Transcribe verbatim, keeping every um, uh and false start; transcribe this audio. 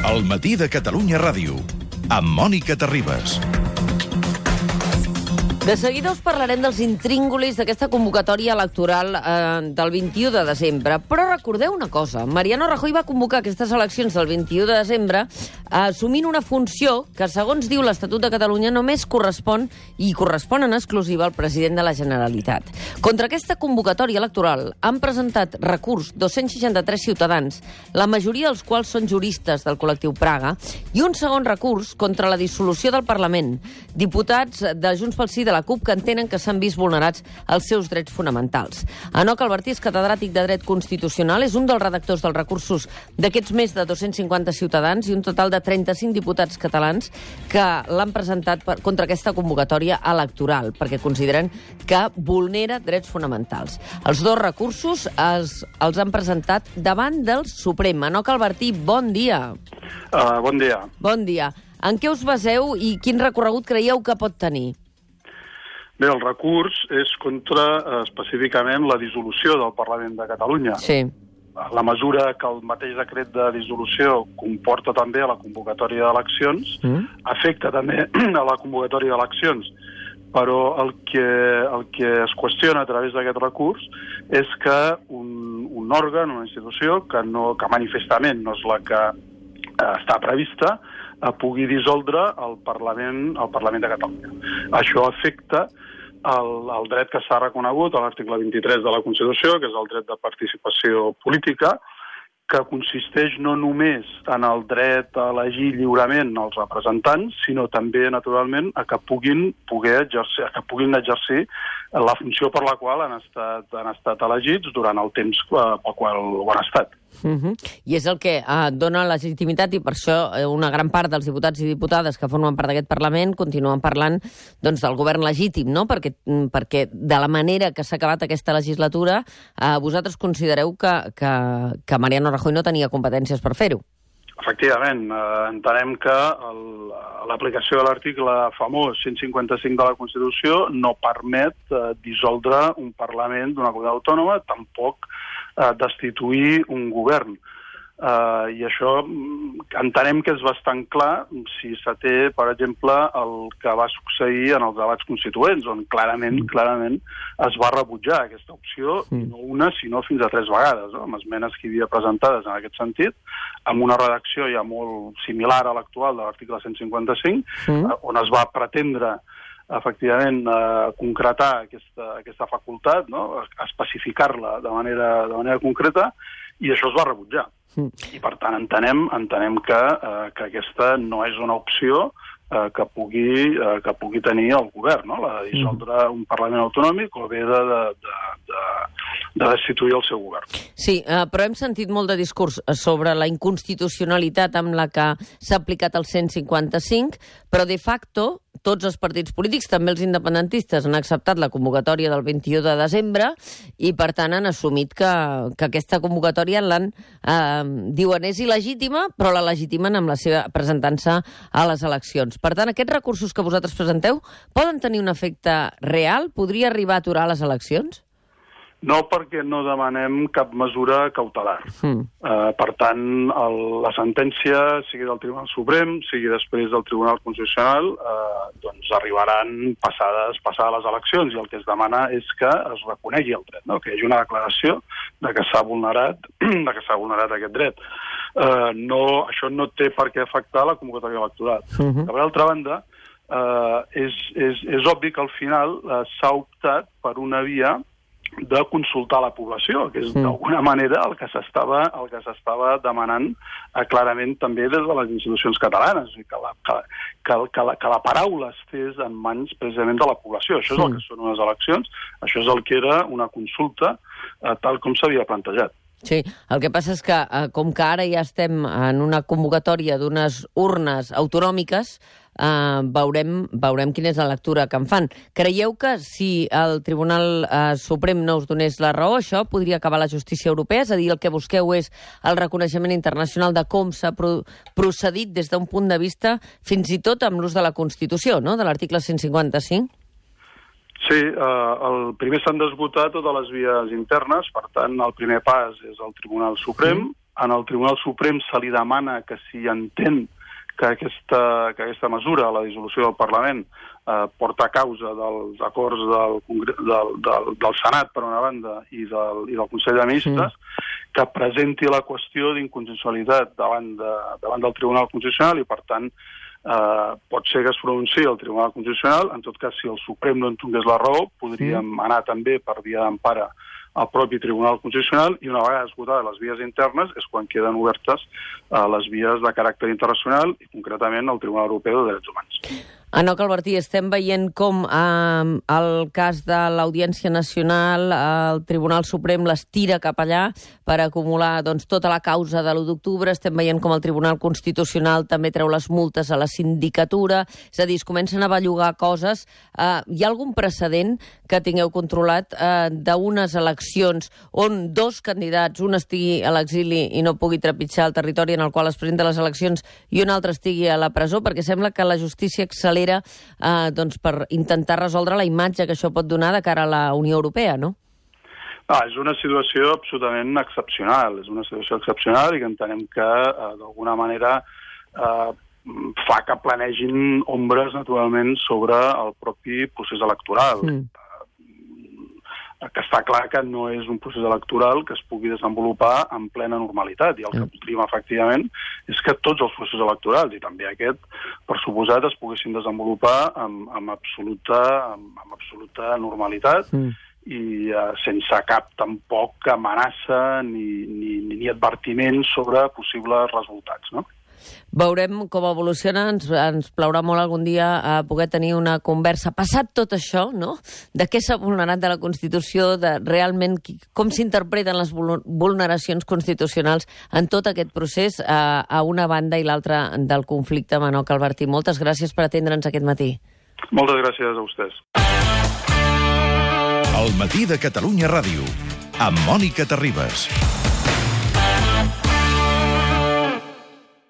El matí de Catalunya Ràdio, amb Mònica Terribas. De seguida us parlarem dels intríngulis d'aquesta convocatòria electoral eh, del vint-i-u de desembre. Però recordeu una cosa, Mariano Rajoy va convocar aquestes eleccions del vint-i-u de desembre assumint una funció que, segons diu l'Estatut de Catalunya, només correspon i correspon en exclusiva al president de la Generalitat. Contra aquesta convocatòria electoral han presentat recurs dos-cents seixanta-tres ciutadans, la majoria dels quals són juristes del col·lectiu Praga, i un segon recurs contra la dissolució del Parlament, diputats de Junts pel Sí de la CUP que entenen que s'han vist vulnerats els seus drets fonamentals. Enoc Albertí és catedràtic de Dret Constitucional, és un dels redactors dels recursos d'aquests més de dos-cents cinquanta ciutadans i un total de trenta-cinc diputats catalans que l'han presentat per, contra aquesta convocatòria electoral, perquè consideren que vulnera drets fonamentals. Els dos recursos els, els han presentat davant del Suprem. Enoc Albertí, bon dia. Uh, bon dia. Bon dia. En què us baseu i quin recorregut creieu que pot tenir? Bé, el recurs és contra, eh, específicament, la dissolució del Parlament de Catalunya. Sí. La mesura que el mateix decret de dissolució comporta també a la convocatòria d'eleccions, mm. afecta també a la convocatòria d'eleccions, però el que, el que es qüestiona a través d'aquest recurs és que un, un òrgan, una institució, que, no, que manifestament no és la que eh, està prevista, eh, pugui dissoldre el Parlament, el Parlament de Catalunya. Això afecta El, el dret que s'ha reconegut a l'article vint-i-tres de la Constitució, que és el dret de participació política, que consisteix no només en el dret a elegir lliurement els representants, sinó també, naturalment, a que puguin poder exercir, a que puguin exercir la funció per la qual han estat, han estat elegits durant el temps pel qual ho han estat. Uh-huh. I és el que uh, dona legitimitat, i per això una gran part dels diputats i diputades que formen part d'aquest Parlament continuen parlant doncs, del govern legítim, no? Perquè, perquè de la manera que s'ha acabat aquesta legislatura, uh, vosaltres considereu que, que, que Mariano Rajoy no tenia competències per fer-ho. Efectivament, eh, entenem que l'aplicació de l'article famós cent cinquanta-cinc de la Constitució no permet eh, dissoldre un Parlament d'una comunitat autònoma, tampoc eh, destituir un govern. Uh, I això entenem que és bastant clar si s'até, per exemple, el que va succeir en els debats constituents, on clarament, clarament es va rebutjar aquesta opció, mm. no una, sinó fins a tres vegades, no? Amb esmenes que hi havia presentades en aquest sentit, amb una redacció ja molt similar a l'actual de l'article cent cinquanta-cinc, mm. uh, on es va pretendre efectivament eh, concretar aquesta, aquesta facultat, no? Especificar-la de manera, de manera concreta, i això es va rebutjar. Mm. I, per tant, entenem, entenem que, eh, que aquesta no és una opció eh, que, pugui, eh, que pugui tenir el govern, no? La de dissoldre un Parlament autonòmic o bé de, de, de, de, de destituir el seu govern. Sí, eh, però hem sentit molt de discurs sobre la inconstitucionalitat amb la que s'ha aplicat el cent cinquanta-cinc, però de facto tots els partits polítics, també els independentistes, han acceptat la convocatòria del vint-i-u de desembre i, per tant, han assumit que, que aquesta convocatòria l'han, eh, diuen, és il·legítima, però la legitimen amb la seva presentant-se a les eleccions. Per tant, aquests recursos que vosaltres presenteu poden tenir un efecte real? Podria arribar a aturar les eleccions? No, perquè no demanem cap mesura cautelar. Mm. Uh, per tant, el, la sentència, sigui del Tribunal Suprem, sigui després del Tribunal Constitucional, uh, doncs arribaran passades, passades les eleccions, i el que es demana és que es reconegui el dret, no? Que hi hagi una declaració de que s'ha vulnerat, de que s'ha vulnerat aquest dret. Uh, no, això no té per què afectar la convocatòria electoral. Mm-hmm. Per altra banda, uh, és, és, és obvi que al final uh, s'ha optat per una via de consultar la població, que és sí. d'alguna manera el que s'estava el que s'estava demanant eh, clarament també des de les institucions catalanes, que la, que, que, que, la, que la paraula estés en mans precisament de la població. Això és sí. el que són unes eleccions, això és el que era una consulta eh, tal com s'havia plantejat. Sí, el que passa és que, eh, com que ara ja estem en una convocatòria d'unes urnes autonòmiques, eh, veurem, veurem quina és la lectura que en fan. Creieu que si el Tribunal eh, Suprem no us donés la raó, això podria acabar la justícia europea? És a dir, el que busqueu és el reconeixement internacional de com s'ha pro procedit des d'un punt de vista fins i tot amb l'ús de la Constitució, no?, de l'article cent cinquanta-cinc? Sí, eh, el primer s'han d'esgotar totes les vies internes, per tant, el primer pas és el Tribunal Suprem, sí. En el Tribunal Suprem se li demana que si entén que aquesta, que aquesta mesura, la dissolució del Parlament, eh, porta a causa dels acords del, del, del, del Senat, per una banda, i del, i del Consell de Ministres, sí. que presenti la qüestió d'inconstitucionalitat davant, de, davant del Tribunal Constitucional i, per tant, eh, pot ser que es pronunciï el Tribunal Constitucional. En tot cas, si el Suprem no en tingués la raó, podríem sí. anar també per via d'empara al propi Tribunal Constitucional, i una vegada esgotades les vies internes és quan queden obertes eh, les vies de caràcter internacional i concretament el Tribunal Europeu de Drets Humans. Enoc Albertí, estem veient com eh, el cas de l'Audiència Nacional, eh, el Tribunal Suprem les tira cap allà per acumular doncs, tota la causa de l'u d'octubre. Estem veient com el Tribunal Constitucional també treu les multes a la sindicatura. És a dir, es comencen a bellugar coses. Eh, hi ha algun precedent que tingueu controlat eh, d'unes eleccions on dos candidats, un estigui a l'exili i no pugui trepitjar el territori en el qual es presenten les eleccions i un altre estigui a la presó? Perquè sembla que la justícia accelera Eh, doncs per intentar resoldre la imatge que això pot donar de cara a la Unió Europea, no? Ah, és una situació absolutament excepcional, és una situació excepcional i que entenem que, eh, d'alguna manera, eh, fa que planegin ombres, naturalment, sobre el propi procés electoral. Mm. Que està clar que no és un procés electoral que es pugui desenvolupar en plena normalitat, i el que voldríem, efectivament, és que tots els processos electorals, i també aquest, per suposat, es poguessin desenvolupar amb, amb, absoluta, amb, amb absoluta normalitat mm. i eh, sense cap tampoc amenaça ni, ni, ni advertiment sobre possibles resultats, no? Veurem com evoluciona, ens, ens plaurà molt algun dia a poder tenir una conversa. Passat tot això, no?, de què s'ha vulnerat de la Constitució, de realment com s'interpreten les vulneracions constitucionals en tot aquest procés a, a una banda i l'altra del conflicte. Enoc Albertí, moltes gràcies per atendre'ns aquest matí. Moltes gràcies a vostès. El matí de Catalunya Ràdio, amb Mònica Terribas.